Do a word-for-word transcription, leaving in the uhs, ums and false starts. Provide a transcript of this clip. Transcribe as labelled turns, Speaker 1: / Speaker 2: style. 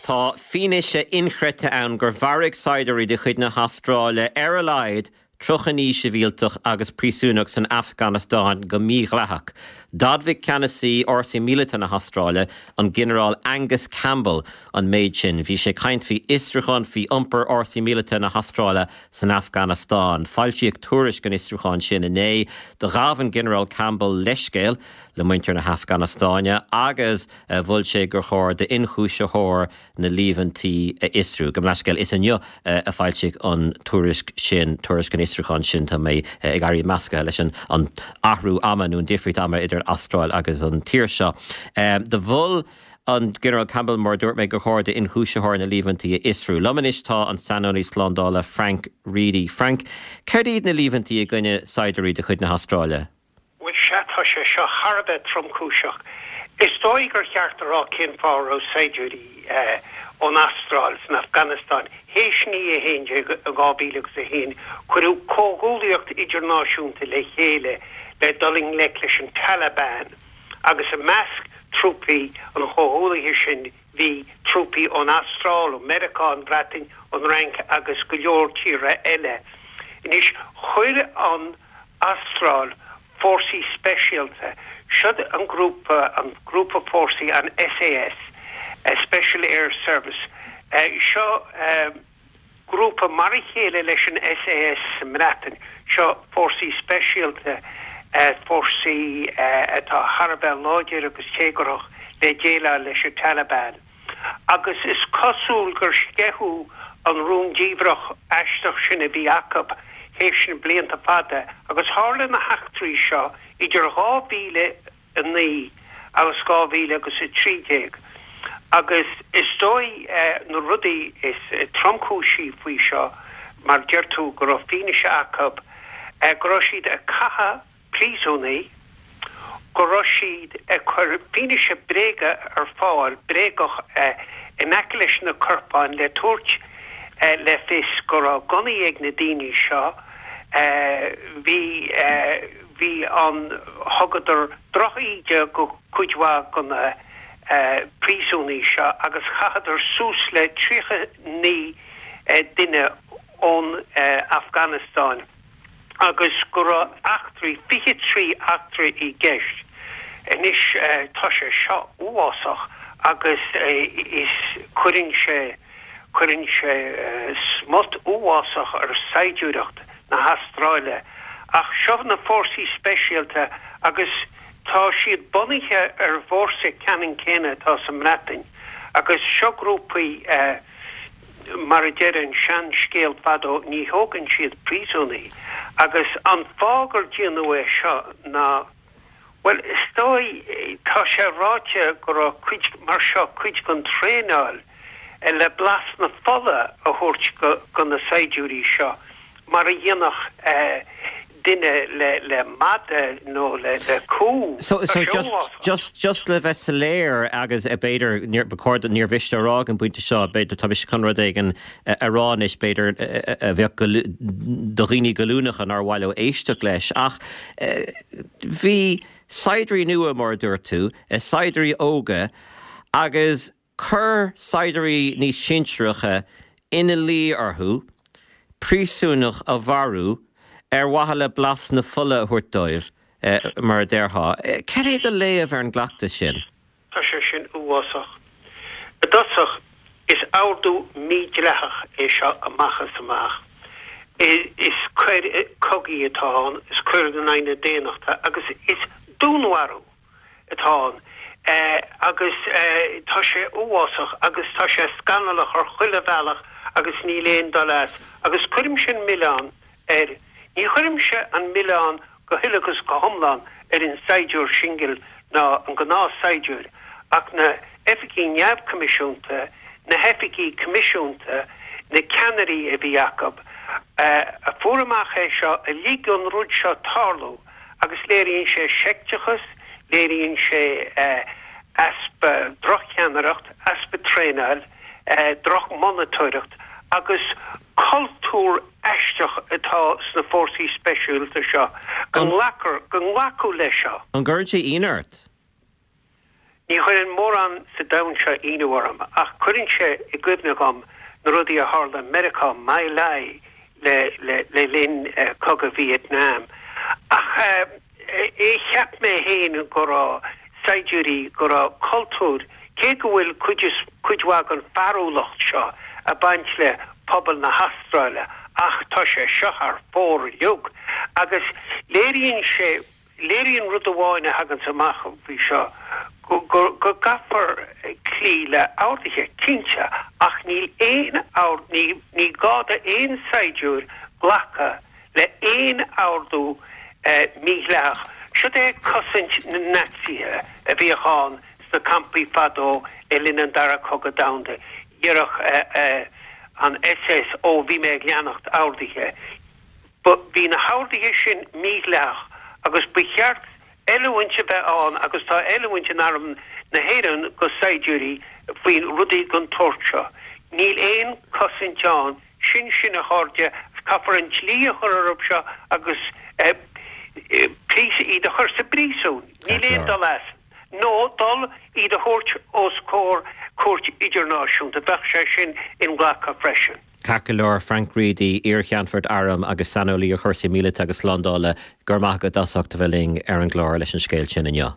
Speaker 1: Tá fianaise inchreidte ann gur mharaigh saighdiúirí de chuid na hAstráile ar a laghad tríocha naoi sibhialtach agus príosúnach san Afganastáin go mídhleathach. D'admhaigh ceannasaí fhórsaí míleata na hAstráile, an Ginearál Angus Campbell an méid sin. Bhí sé ag caint faoi fhiosrúchán faoi iompar fhórsaí míleata na hAstráile san Afganastáin. Foilsíodh tuairisc an fhiosrúcháin sin inné. Do ghabh an Ginearál Campbell leithscéal le muintir na hAfganastáine agus mhol sé gur chóir d'ionchúisitheoir na líomhaintí a fhiosrú. Gabh mo leithscéal is inniu a foilsíodh an tuairisc sin, tuairisc an fhiosrúcháin sin tá mé ag éirí measctha leis an an athrú ama nó an difríocht ama idir Astráil agus an tír seo. Do mhol an Ginearál Campbell mar dúirt mé gur chóir d'ionchúisitheoir na líomhaintí a fhiosrú. Liom anois tá an saineolaí slándála Frank Reidy. Frank, céard iad na líomhaintí i gcoinne saighdiúirí de chuid na hAstráile?
Speaker 2: Bhuel sea tá sé seo thar a bheith tromchúiseach. Is dóigh gur cheart a rá cén fáth a raibh saighdiúirí ón Astráil san Afganastáin théis naoi a haon déag dhá mhíle agus a haon. Cuireadh comhghuaillíocht idirnáisiúnta le chéile le dul i ngleic leis an Taliban agus i measc trúpaí an chomhghuaillithe sin bhí trúpaí ón Astráil, ó Meiriceá, an Bhreatain, an Fhrainc agus go leor tíortha eile. Anois chuir an Astráil fórsaí speisialta, siod an grúpa, an grúpa fórsaí, an SAS, Special Air Service, seo grúpa mar a chéile leis an SAS sa mBreatain, seo fórsaí speisialta, fórsaí atá thar a bheith láidir agus téagarthach le déileáil leis an Taliban. Agus is cosúil gur sceitheadh an rún diamhrach aisteach sin a bhí acu théis na blianta fada agus tharla na heachtraí seo idir dhá mhíle a naoi agus dhá mhíle agus a trí déag agus is dóigh na rudaí is tromchúisí faoi seo mar deir tú go raibh fianaise acu go raibh siad ag caitheamh príosúnaigh, go raibh siad ag cur fianaise bréige ar fáil, bréagach, in aice leis na corpáin le tabhairt le fios go raibh gunnaí ag na daoine seo. Bhí, bhí an, thugadar droch-íde go cuid mhaith go na príosúnaigh seo agus chaitheadar suas le tríocha naoi duine ón Afganastáin. agus go raibh eachtraí, fiche trí eachtra i gceist. Anois tá sé seo uafásach agus is cuireann sé, cuireann sé smut uafásach ar saighdiúireacht na hAstráile. Ach seo na fórsaí speisialta agus tá siad bunaithe ar bhfórsa ceannann céanna atá sa mBreatain agus seo grúpaí, Mar a deir an sean-scéal fadó, ní thógann siad príosúnaigh. Agus an fáth gur déanadh é seo ná, bhuel, is dóigh, tá sé ráite go raibh cuid, mar seo, cuid den traenáil le blas na fola a thabhairt go na saighdiúirí seo, mar a dhéanfadh duine le le mada nó le le cú.
Speaker 1: So so just just just le bheith soiléir agus b'fhéidir níor ba chóir níor mhiste a rá ag an bpointe seo b'fhéidir tá mise chun rud éigin a rá anois b'fhéidir a bheadh do dhaoine goilliúnacha nár mhaith leo éisteacht leis ach bhí saighdiúirí nua mar a dúirt tú saighdiúirí óga agus chuir saighdiúirí níos sinsearacha ina luí orthu príosúnach a mharú ar mhaithe le blas na fola a thabhairt dóibh, mar a déarfá. Cad é do léamh ar an gcleachtas sin?
Speaker 2: Tá sé sin uafásach. I dtosach, is ordú mídhleathach é seo amach is amach. Is coir cogaidh atá ann, is coir in aghaidh na daonnachta agus is dúnmharú atá ann. Agus tá sé uafásach agus tá sé scannalach ar chuile bhealach agus níl aon dul as. Agus cuirimse an milleán air. Ní chuirimse an milleán go huile agus go hiomlán ar an saighdiúir singil ná an gnáthshaighdiúir, ach na hoifigigh neamhchoimisiúnta, na hoifigigh coimisiúnta, na ceannairí a bhí acu, a fuair amach é seo, a lig don rud seo tarlú agus léiríonn sé seicteachas, léiríonn sé easpa, drochcheannaireacht, easpa traenáil, drochmhonatóireacht agus cultúr aisteach atá sna fórsaí speisialta seo, go nglacfar, go nglacadh leis seo.
Speaker 1: An gcuireann sé ionadh ort?
Speaker 2: Ní chuireann mórán sa domhan seo ionadh orm, ach cuireann sé i gcuimhne dhom na rudaí a tharla i Meiriceá, My Lai, le le le linn Cogadh Vietnam. Ach cheap mé féin go raibh saighdiúirí, go raibh cultúr, cé go bhfuil cuid is cuid mhaith den fearúlacht seo ag baint le pobal na hAstráile, ach tá sé seo thar fóir uilig agus léiríonn sé, léiríonn rud amháin a thaganns amach faoi seo, go go gcaithfear cloí le horduithe, cinnte, ach níl aon ord, ní ní gá d'aon saighdiúir glacadh le haon ordú mídhleathach. Siod é cosaint na Naitsithe a bhíodh ann sna campaí fadó le linn an Dara Cogadh Domhanda. Déarfadh an SS, Ó, bhí mé ag leanacht orduithe. Bhí na horduithe sin mídhleathach agus ba cheart oiliúint a bheith ann agus tá oiliúint in Arm na hÉireann go saighdiúirí faoi rudaí den tsórt seo. Níl aon chosaint ann. Sin sin a chairde, caithfear an dlí a chur orthu seo agus iad a chur sa bpríosún. Níl aon dul as. Nó dul iad a thabhairt os comhair cúirt idirnáisiúnta. Bheadh sé sin inghlactha freisin.
Speaker 1: Ceart go leor, Frank Reidy, iar-cheannfort airm agus saineolaí ar chúrsaí míleata agus slándála, go raibh maith agat as ucht a bheith linn ar an gclár leis an scéal sin inniu.